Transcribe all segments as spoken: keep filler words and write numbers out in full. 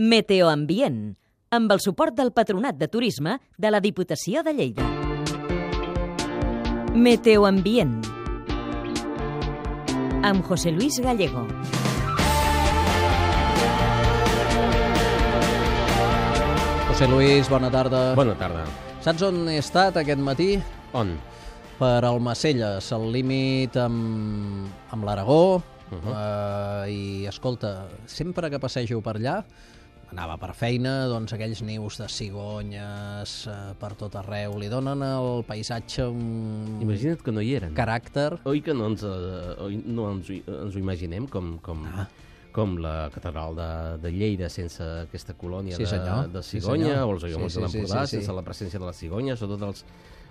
Meteoambient, amb el suport del Patronat de Turisme de la Diputació de Lleida. Meteoambient, amb José Luis Gallego. José Luis, bona tarda. Bona tarda. Saps on he estat aquest matí? On? Per Almacelles, al límit amb, amb l'Aragó. Uh -huh. uh, I, escolta, sempre que passejo per allà, anava per feina, doncs aquells nius de cigonyes uh, per tot arreu, li donen al paisatge un... Imagina't que no hi eren. Caràcter. Oi que no ens, uh, oi, no ens, ens ho imaginem com... com... Ah. com la catedral de, de Lleida sense aquesta colònia sí, de, de cigonya, sí, o els Aiguamolls sí, de sí, l'Empordà, sí, sí, sí. sense la presència de la cigonya, sobretot els,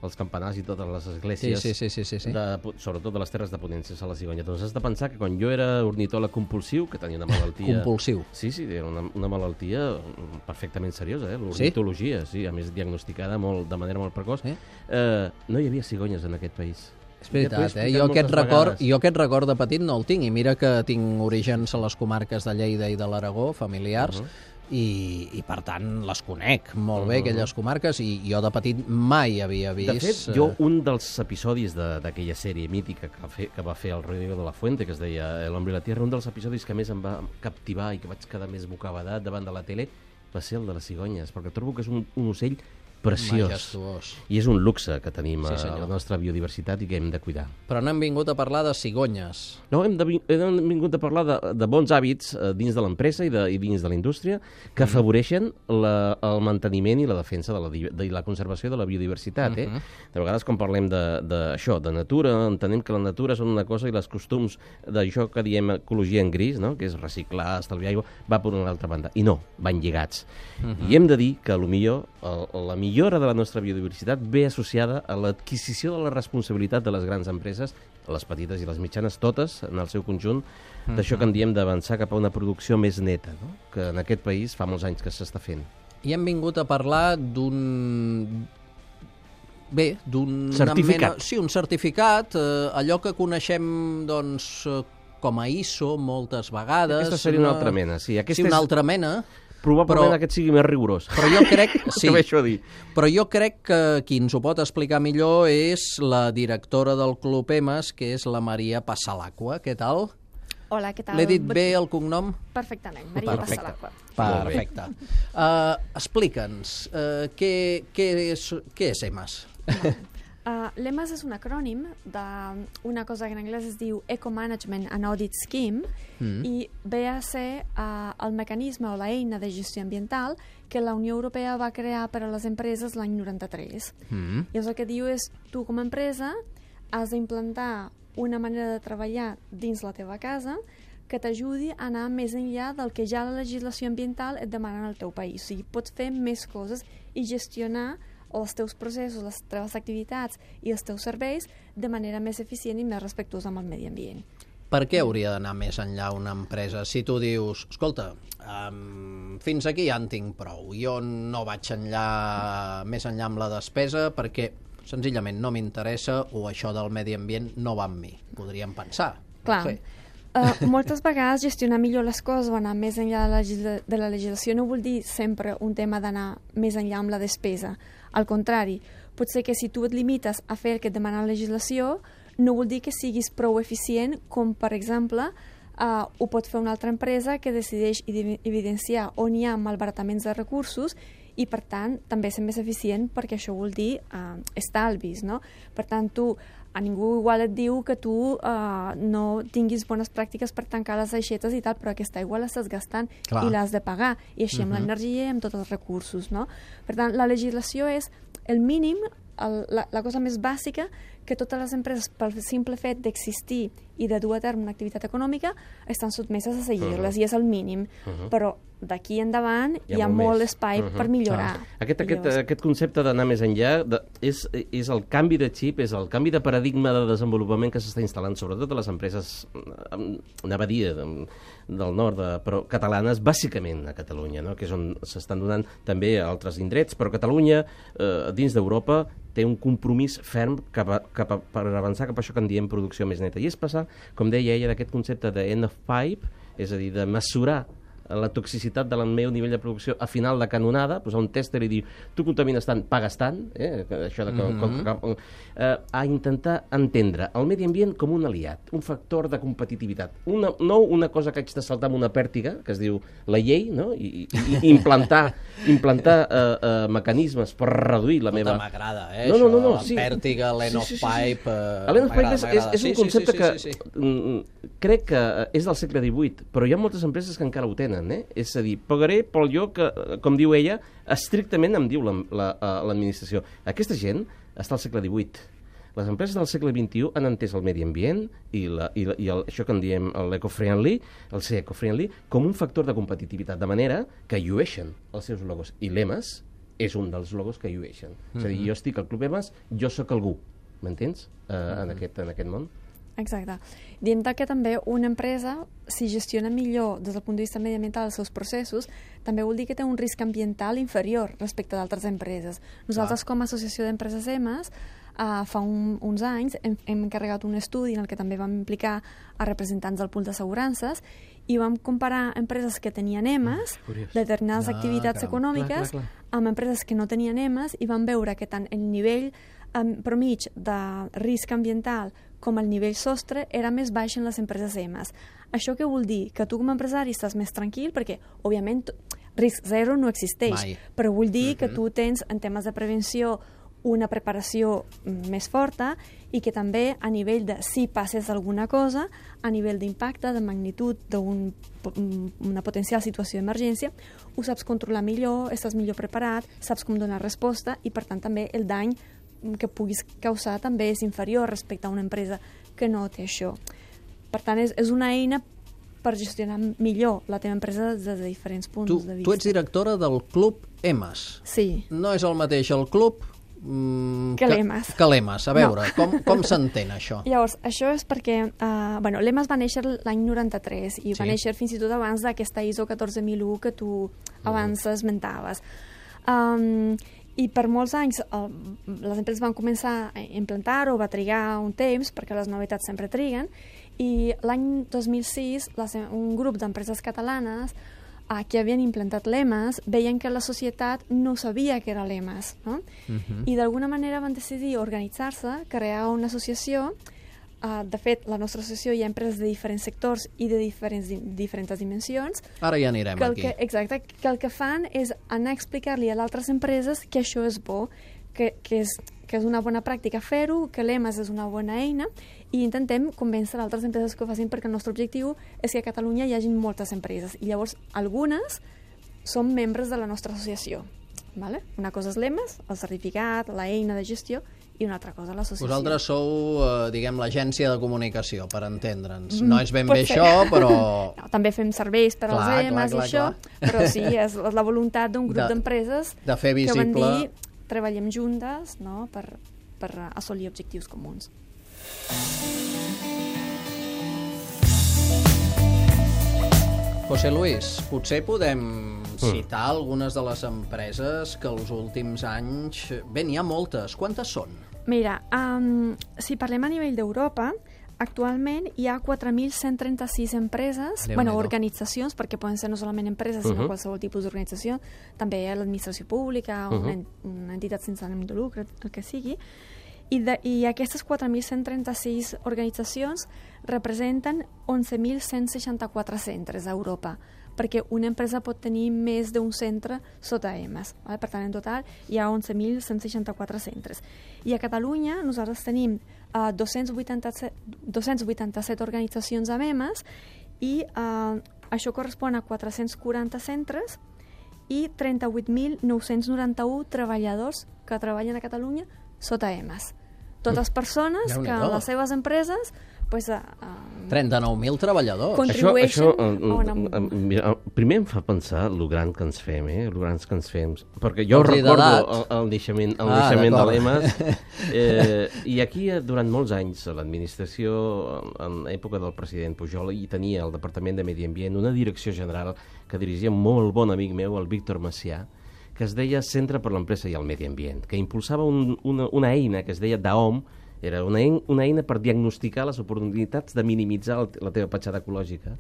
els campanars i totes les esglésies, sí, sí, sí, sí, sí. De, sobretot de les terres de Ponent, sense la cigonya. Doncs has de pensar que quan jo era ornitòleg compulsiu, que tenia una malaltia... Compulsiu? Sí, sí, era una, una malaltia perfectament seriosa, eh? L'ornitologia, sí? sí, a més diagnosticada molt, de manera molt precoç. Eh? Eh, no hi havia cigonyes en aquest país. És veritat, eh? jo, aquest record, jo aquest record de petit no el tinc, i mira que tinc orígens a les comarques de Lleida i de l'Aragó, familiars, uh -huh. i, i per tant les conec molt uh -huh. bé, aquelles comarques, i jo de petit mai havia vist... De fet, jo un dels episodis d'aquella sèrie mítica que va, fer, que va fer el Rodrigo de la Fuente, que es deia L'Hombre i la Tierra, un dels episodis que més em va captivar i que vaig quedar més bocabadat davant de la tele va ser el de les cigonyes, perquè trobo que és un, un ocell preciós. Majestuós. I és un luxe que tenim sí, a la nostra biodiversitat i que hem de cuidar. Però no hem vingut a parlar de cigonyes. No, hem, de, hem vingut a parlar de, de bons hàbits eh, dins de l'empresa i, de, i dins de la indústria que mm. afavoreixen la, el manteniment i la defensa de la, de la conservació de la biodiversitat. Eh? Mm-hmm. De vegades, quan parlem d'això, de, de natura, entenem que la natura són una cosa i els costums d'això que diem ecologia en gris, no? Que és reciclar, estalviar aigua, va per una altra banda. I no, van lligats. Mm-hmm. I hem de dir que potser la millora de la nostra biodiversitat ve associada a l'adquisició de la responsabilitat de les grans empreses, les petites i les mitjanes, totes, en el seu conjunt, uh-huh. d'això que en diem d'avançar cap a una producció més neta, no? Que en aquest país fa molts anys que s'està fent. I hem vingut a parlar d'un... Bé, d'un... Certificat. Mena... Sí, un certificat, eh, allò que coneixem, doncs, com a I S O moltes vegades. Aquesta seria una, una altra mena, sí. Aquesta sí, una és... altra mena. Probablement però, aquest sigui més rigorós. Però jo crec, sí, a dir. però jo crec que qui ens ho pot explicar millor és la directora del Club EMAS, que és la Maria Passalacqua. Què tal? Hola, què tal? L'he dit bé el cognom? Perfectament, Maria Perfecte. Passalacqua. Perfecte. Uh, Explica'ns, uh, què, què, és, què és EMAS? Uh, L'EMAS és un acrònim d'una cosa que en anglès es diu Eco Management and Audit Scheme mm. i ve a ser uh, el mecanisme o la eina de gestió ambiental que la Unió Europea va crear per a les empreses l'any noranta-tres. Mm. Llavors el que diu és, tu com a empresa has d'implantar una manera de treballar dins la teva casa que t'ajudi a anar més enllà del que ja la legislació ambiental et demana al teu país. O sigui, pots fer més coses i gestionar els teus processos, les teves activitats i els teus serveis de manera més eficient i més respectuosa amb el medi ambient. Per què hauria d'anar més enllà una empresa? Si tu dius, escolta, um, fins aquí ja en tinc prou, jo no vaig enllà, més enllà amb la despesa perquè senzillament no m'interessa o això del medi ambient no va amb mi, podríem pensar. Clar, no sé. uh, moltes vegades gestionar millor les coses o anar més enllà de la, legisla de la legislació no vol dir sempre un tema d'anar més enllà amb la despesa. Al contrari, pot ser que si tu et limites a fer el que et demana la legislació, no vol dir que siguis prou eficient com, per exemple, uh, ho pot fer una altra empresa que decideix evidenciar on hi ha malbarataments de recursos i, per tant, també ser més eficient perquè això vol dir uh, estalvis, no? Per tant, tu, a ningú igual et diu que tu uh, no tinguis bones pràctiques per tancar les aixetes i tal, però aquesta aigua l'estàs gastant Clar. I l'has de pagar, i així amb uh -huh. l'energia i amb tots els recursos, no? Per tant, la legislació és el mínim, el, la, la cosa més bàsica que totes les empreses, pel simple fet d'existir i de dur a terme una activitat econòmica, estan sotmeses a seguir-les, uh -huh. i és el mínim. Uh -huh. Però d'aquí endavant hi ha, hi ha molt, molt espai uh -huh. per millorar. Ah. Aquest, aquest, aquest concepte d'anar més enllà de, és, és el canvi de xip, és el canvi de paradigma de desenvolupament que s'està instal·lant, sobretot a les empreses, anava a dir, del nord, de, però catalanes, bàsicament a Catalunya, no? Que és on s'estan donant també a altres indrets, però Catalunya, eh, dins d'Europa, té un compromís ferm cap a, cap a, per avançar cap a això que en diem producció més neta. I és passar, com deia ella, d'aquest concepte de end of pipe, és a dir, de mesurar la toxicitat del meu nivell de producció a final de canonada, posar un tèster i dir tu contamines tant, pagues tant, eh? Això de que, mm-hmm. com, com, eh, a intentar entendre el medi ambient com un aliat, un factor de competitivitat. Una, no una cosa que haig de saltar amb una pèrtiga, que es diu la llei, no? I, i, i implantar, implantar eh, eh, mecanismes per reduir la meva... M'agrada, eh, no, no, no, no, això, sí. la pèrtiga, l'En of sí, sí, sí, sí. Pipe... Eh, L'En of Pipe és, és, és un sí, concepte sí, sí, sí, sí, sí. que mm, crec que és del segle divuit, però hi ha moltes empreses que encara ho tenen, eh? És a dir, pagaré pel lloc que, com diu ella, estrictament em diu l'administració. La, la, Aquesta gent està al segle divuit. Les empreses del segle vint-i-u han entès el medi ambient i, la, i, la, i el, això que en diem l'eco-friendly, el ser eco-friendly, com un factor de competitivitat, de manera que llueixen els seus logos. I l'Emas és un dels logos que llueixen. Mm-hmm. És a dir, jo estic al Club Emas, jo sóc algú, m'entens? Uh, mm-hmm. en, aquest, en aquest món. Exacte. Diem que també una empresa, si gestiona millor des del punt de vista mediambiental els seus processos, també vol dir que té un risc ambiental inferior respecte d'altres empreses. Nosaltres, ah. com a associació d'empreses EMAS, uh, fa un, uns anys hem, hem encarregat un estudi en el que també vam implicar a representants del pool d'assegurances i vam comparar empreses que tenien EMAS, mm, determinades ah, activitats caram. econòmiques, clar, clar, clar. amb empreses que no tenien EMAS, i vam veure que tant el nivell um, promig de risc ambiental com el nivell sostre era més baix en les empreses EMAS. Això què vol dir? Que tu com a empresari estàs més tranquil perquè, òbviament, risc zero no existeix, Mai. però vull dir mm-hmm. que tu tens, en temes de prevenció, una preparació més forta i que també a nivell de si passes alguna cosa, a nivell d'impacte, de magnitud d'una un, potencial situació d'emergència, ho saps controlar millor, estàs millor preparat, saps com donar resposta i, per tant, també el dany que puguis causar també és inferior respecte a una empresa que no té això. Per tant, és, és una eina per gestionar millor la teva empresa des de diferents punts tu, de vista. Tu ets directora del Club EMAS. Sí. No és el mateix el club mm, que l'EMAS. Que l'EMAS. A veure, no. com, com s'entén això? Llavors, això és perquè uh, bueno, l'EMAS va néixer l'any noranta-tres i sí. va néixer fins i tot abans d'aquesta I S O catorze mil u que tu abans mm. esmentaves. Um, I per molts anys el, les empreses van començar a implantar-ho, va trigar un temps, perquè les novetats sempre triguen, i l'any dos mil sis les, un grup d'empreses catalanes eh, que havien implantat l'EMAS veien que la societat no sabia que era l'EMAS, no? Uh-huh. I d'alguna manera van decidir organitzar-se, crear una associació. Uh, de fet, la nostra associació hi ha empreses de diferents sectors i de diferents, di diferents dimensions. Ara ja anirem que aquí. Que, exacte, que el que fan és anar a explicar-li a altres empreses que això és bo, que, que, és, que és una bona pràctica fer-ho, que l'EMAS és una bona eina, i intentem convèncer altres empreses que ho facin, perquè el nostre objectiu és que a Catalunya hi hagi moltes empreses, i llavors algunes són membres de la nostra associació. Vale? Una cosa és l'EMAS, el certificat, la eina de gestió, i una altra cosa, l'associació. Vosaltres sou, eh, diguem, l'agència de comunicació, per entendre'ns. No és ben Pot bé ser. això, però... No, també fem serveis per clar, als EMAS clar, i això, clar. però sí, és la voluntat d'un grup De- d'empreses de fer que van visible- dir treballem juntes, no?, per, per assolir objectius comuns. José Luis, potser podem citar algunes de les empreses que els últims anys... Bé, n'hi ha moltes. Quantes són? Mira, um, si parlem a nivell d'Europa, actualment hi ha quatre mil cent trenta-sis empreses, Déu-n'hi-do. bueno, organitzacions, perquè poden ser no solament empreses, sinó Uh-huh. qualsevol tipus d'organització, també hi ha l'administració pública, una, Uh-huh. en- una entitat sense ànim de lucre, el que sigui, i, de, i aquestes quatre mil cent trenta-sis organitzacions representen onze mil cent seixanta-quatre centres a Europa, perquè una empresa pot tenir més d'un centre sota EMAS. Vale? Per tant, en total hi ha onze mil cent seixanta-quatre centres. I a Catalunya nosaltres tenim uh, dos-cents vuitanta-set, dos-cents vuitanta-set organitzacions amb EMAS i uh, això correspon a quatre-cents quaranta centres i trenta-vuit mil nou-cents noranta-u treballadors que treballen a Catalunya sota EMAS. Totes persones que Déu-n'hi-do. en les seves empreses pues, uh, uh, trenta-nou mil treballadors. Con- Això, això Contribueixen eh, a una- eh, mira, primer em fa pensar lo gran que ens fem, eh? Lo grans que ens fem. Perquè jo Els recordo liderats. el, el naixement, el Ah, naixement de d'acord. l'EMAS. Eh, I aquí, eh, durant molts anys, a l'administració, en època del president Pujol, hi tenia el Departament de Medi Ambient una direcció general que dirigia un molt bon amic meu, el Víctor Macià, que es deia Centre per l'Empresa i el Medi Ambient, que impulsava un, una, una eina que es deia D A O M, era una, ein, una eina per diagnosticar les oportunitats de minimitzar el, la teva petjada ecològica.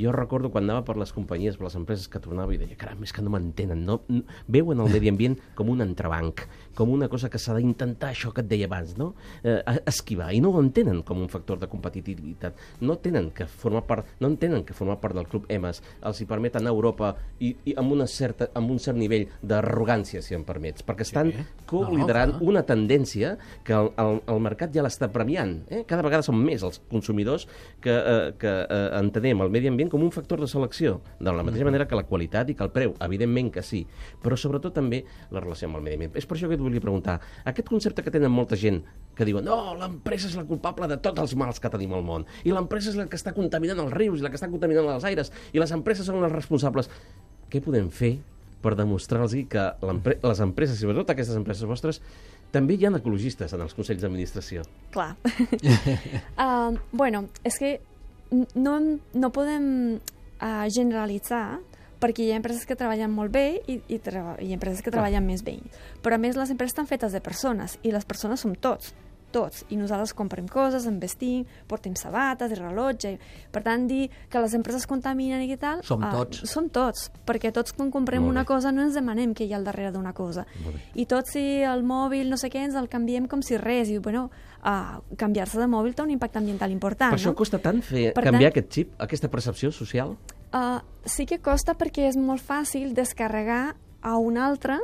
Jo recordo quan anava per les companyies, per les empreses que tornava i deia, caram, és que no m'entenen, no, no, veuen el medi ambient com un entrebanc, com una cosa que s'ha d'intentar, això que et deia abans, no? Eh, esquivar, i no ho entenen com un factor de competitivitat. No tenen que formar part, no entenen que formar part del Club E M A S els hi permet anar a Europa i, i amb, una certa, amb un cert nivell d'arrogància, si em permets, perquè estan sí. co-liderant no, una tendència que el, el, el mercat ja l'està premiant. Eh? Cada vegada són més els consumidors que, eh, que eh, entenem el medi ambient com un factor de selecció, de la mateixa manera que la qualitat i que el preu, evidentment que sí, però sobretot també la relació amb el medi ambient. És per això que et volia preguntar, aquest concepte que tenen molta gent que diuen no, l'empresa és la culpable de tots els mals que tenim al món, i l'empresa és la que està contaminant els rius i la que està contaminant els aires, i les empreses són les responsables. Què podem fer per demostrar-los que les empreses, i sobretot aquestes empreses vostres, també hi ha ecologistes en els consells d'administració? Clar. uh, bueno, és que no, no podem uh, generalitzar, perquè hi ha empreses que treballen molt bé i, i, treba, i empreses que treballen més bé. Però a més les empreses estan fetes de persones i les persones som tots, tots. I nosaltres comprem coses, investim, portem sabates i rellotge. Per tant, dir que les empreses contaminen i tal... Som tots. Uh, som tots, perquè tots quan comprem una cosa no ens demanem què hi ha al darrere d'una cosa. I tots si el mòbil, no sé què, ens el canviem com si res. I, bueno, uh, canviar-se de mòbil té un impacte ambiental important, per no? això costa tant fer, per canviar tant, aquest xip, aquesta percepció social? Uh, sí que costa perquè és molt fàcil descarregar a un altre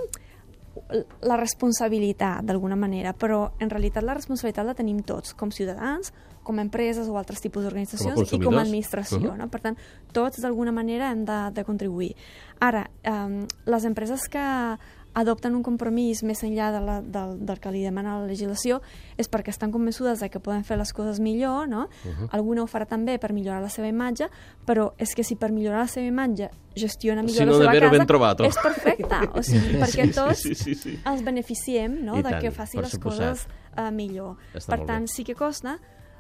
la responsabilitat, d'alguna manera, però en realitat la responsabilitat la tenim tots, com ciutadans, com empreses o altres tipus d'organitzacions i com a administració. Uh -huh. No? Per tant, tots d'alguna manera hem de, de contribuir. Ara, um, les empreses que adopten un compromís més enllà de la, del, del que li demana la legislació és perquè estan convençudes de que poden fer les coses millor, no? Uh-huh. Alguna ho farà també per millorar la seva imatge, però és que si per millorar la seva imatge gestiona millor si no, la seva casa, ben trovato. És perfecte. O sigui, perquè tots sí, sí, sí, sí. ens beneficiem, no?, I de tant, que faci les suposat. coses uh, millor. Està per tant, bé. sí que costa,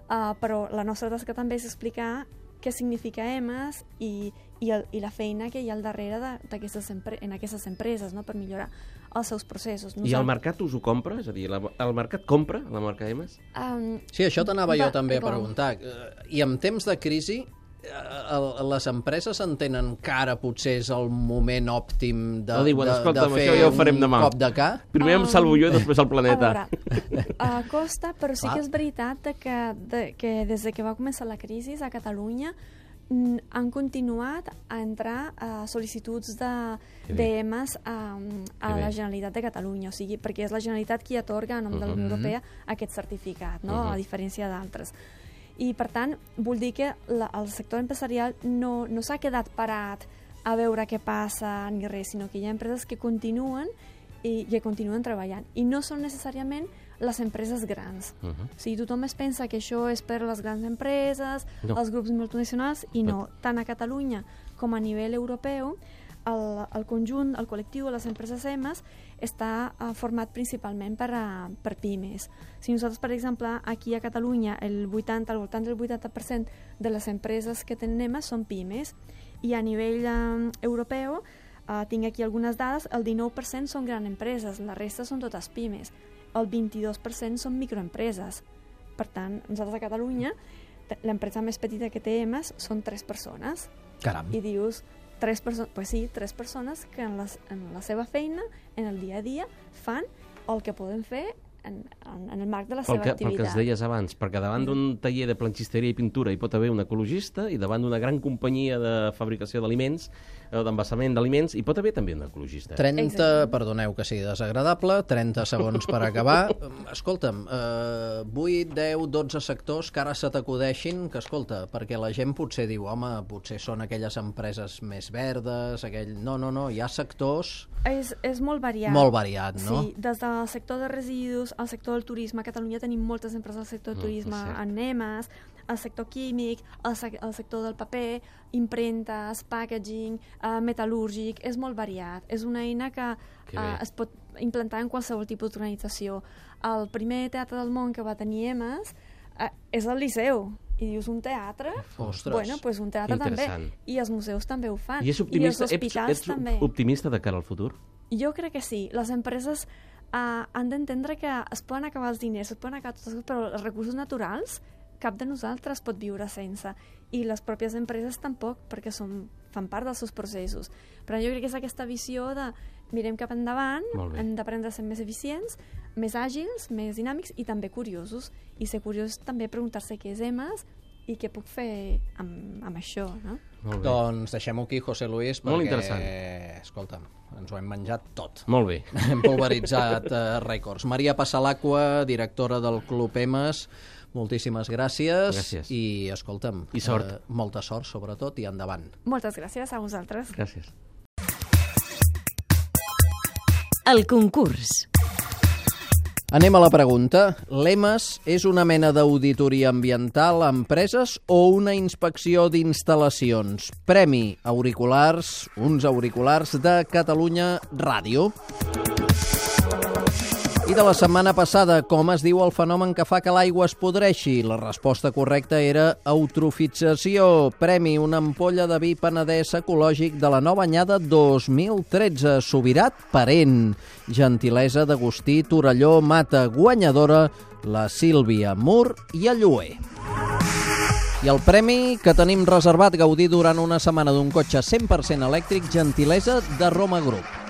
uh, però la nostra tasca també és explicar què significa E M A S i, i, el, i la feina que hi ha al darrere d'aquestes empre en aquestes empreses, no?, per millorar els seus processos. Nosaltres... I el mercat us ho compra? És a dir, la, el mercat compra la marca E M A S? Um, sí, això t'anava jo també a com? preguntar. I en temps de crisi, les empreses entenen que ara potser és el moment òptim de, no diuen, de, de fer ja ho farem un demà. cop de ca? Primer um, em salvo jo i després el planeta. A veure, uh, costa, però sí que és veritat de que, de, que des de que va començar la crisi a Catalunya han continuat a entrar a sol·licituds d'E M A S a, a la Generalitat de Catalunya, o sigui, perquè és la Generalitat qui atorga a nom de la Unió Europea aquest certificat, no?, uh-huh. a diferència d'altres. I, per tant, vull dir que la, el sector empresarial no, no s'ha quedat parat a veure què passa ni res, sinó que hi ha empreses que continuen i que continuen treballant. I no són necessàriament les empreses grans. Uh -huh. O sigui, tothom es pensa que això és per les grans empreses, no. els grups multinacionals, i no. Tant a Catalunya com a nivell europeu, el, el conjunt, el col·lectiu de les empreses E M A S està uh, format principalment per, uh, per pimes. Si nosaltres, per exemple, aquí a Catalunya, el vuitanta, al voltant del vuitanta per cent de les empreses que tenen E M A S són pimes, i a nivell uh, europeu, uh, tinc aquí algunes dades, el dinou per cent són grans empreses, la resta són totes pimes. El vint-i-dos per cent són microempreses. Per tant, nosaltres a Catalunya, l'empresa més petita que té E M A S són tres persones. Caram. I dius, tres persones, pues sí, tres persones que en, les, en la seva feina, en el dia a dia, fan el que poden fer en, en, en el marc de la seva que, activitat. Pel que es deies abans, perquè davant mm. d'un taller de planxisteria i pintura hi pot haver un ecologista i davant d'una gran companyia de fabricació d'aliments o d'envasament d'aliments hi pot haver també un ecologista. trenta, Exacte. Perdoneu que sigui desagradable, trenta segons per acabar. Escolta'm, eh, vuit, deu, dotze sectors que ara se t'acudeixin, que escolta, perquè la gent potser diu, home, potser són aquelles empreses més verdes, aquell... No, no, no, hi ha sectors... És, és molt variat. Molt variat, no? Sí, des del sector de residus al sector del turisme. A Catalunya tenim moltes empreses del sector del turisme, mm, en E M A S, el sector químic, el, sec el sector del paper, impremtes, packaging, uh, metal·lúrgic, és molt variat. És una eina que uh, es pot implantar en qualsevol tipus d'organització. El primer teatre del món que va tenir E M A S uh, és el Liceu. I dius, un teatre? Ostres. Bueno, pues un teatre també. I els museus també ho fan. I és optimista, I els hospitals ets, ets també. optimista de cara al futur? Jo crec que sí. Les empreses uh, han d'entendre que es poden acabar els diners, es poden acabar totes les coses, però els recursos naturals cap de nosaltres pot viure sense. I les pròpies empreses tampoc, perquè són, fan part dels seus processos. Però jo crec que és aquesta visió de mirem cap endavant, hem d'aprendre a ser més eficients, més àgils, més dinàmics i també curiosos. I ser curiós també preguntar-se què és E M A S i què puc fer amb, amb això, no? Doncs deixem-ho aquí, José Luis, perquè, molt interessant. Escolta'm, ens ho hem menjat tot. Molt bé. Hem pulveritzat uh, rècords. Maria Passalacqua, directora del Club E M A S, moltíssimes gràcies. Gràcies. I, escolta'm, I sort. Uh, molta sort, sobretot, i endavant. Moltes gràcies a vosaltres. Gràcies. El concurs. Anem a la pregunta. L'E M A S és una mena d'auditoria ambiental a empreses o una inspecció d'instal·lacions? Premi auriculars, uns auriculars de Catalunya Ràdio. I de la setmana passada, com es diu el fenomen que fa que l'aigua es podreixi? La resposta correcta era eutrofització. Premi una ampolla de vi penedès ecològic de la nova anyada dos mil tretze. Sobirat Parent. Gentilesa d'Agustí Torelló Mata. Guanyadora la Sílvia Mur i Alluer. I el premi que tenim reservat gaudir durant una setmana d'un cotxe cent per cent elèctric, gentilesa de Roma Group.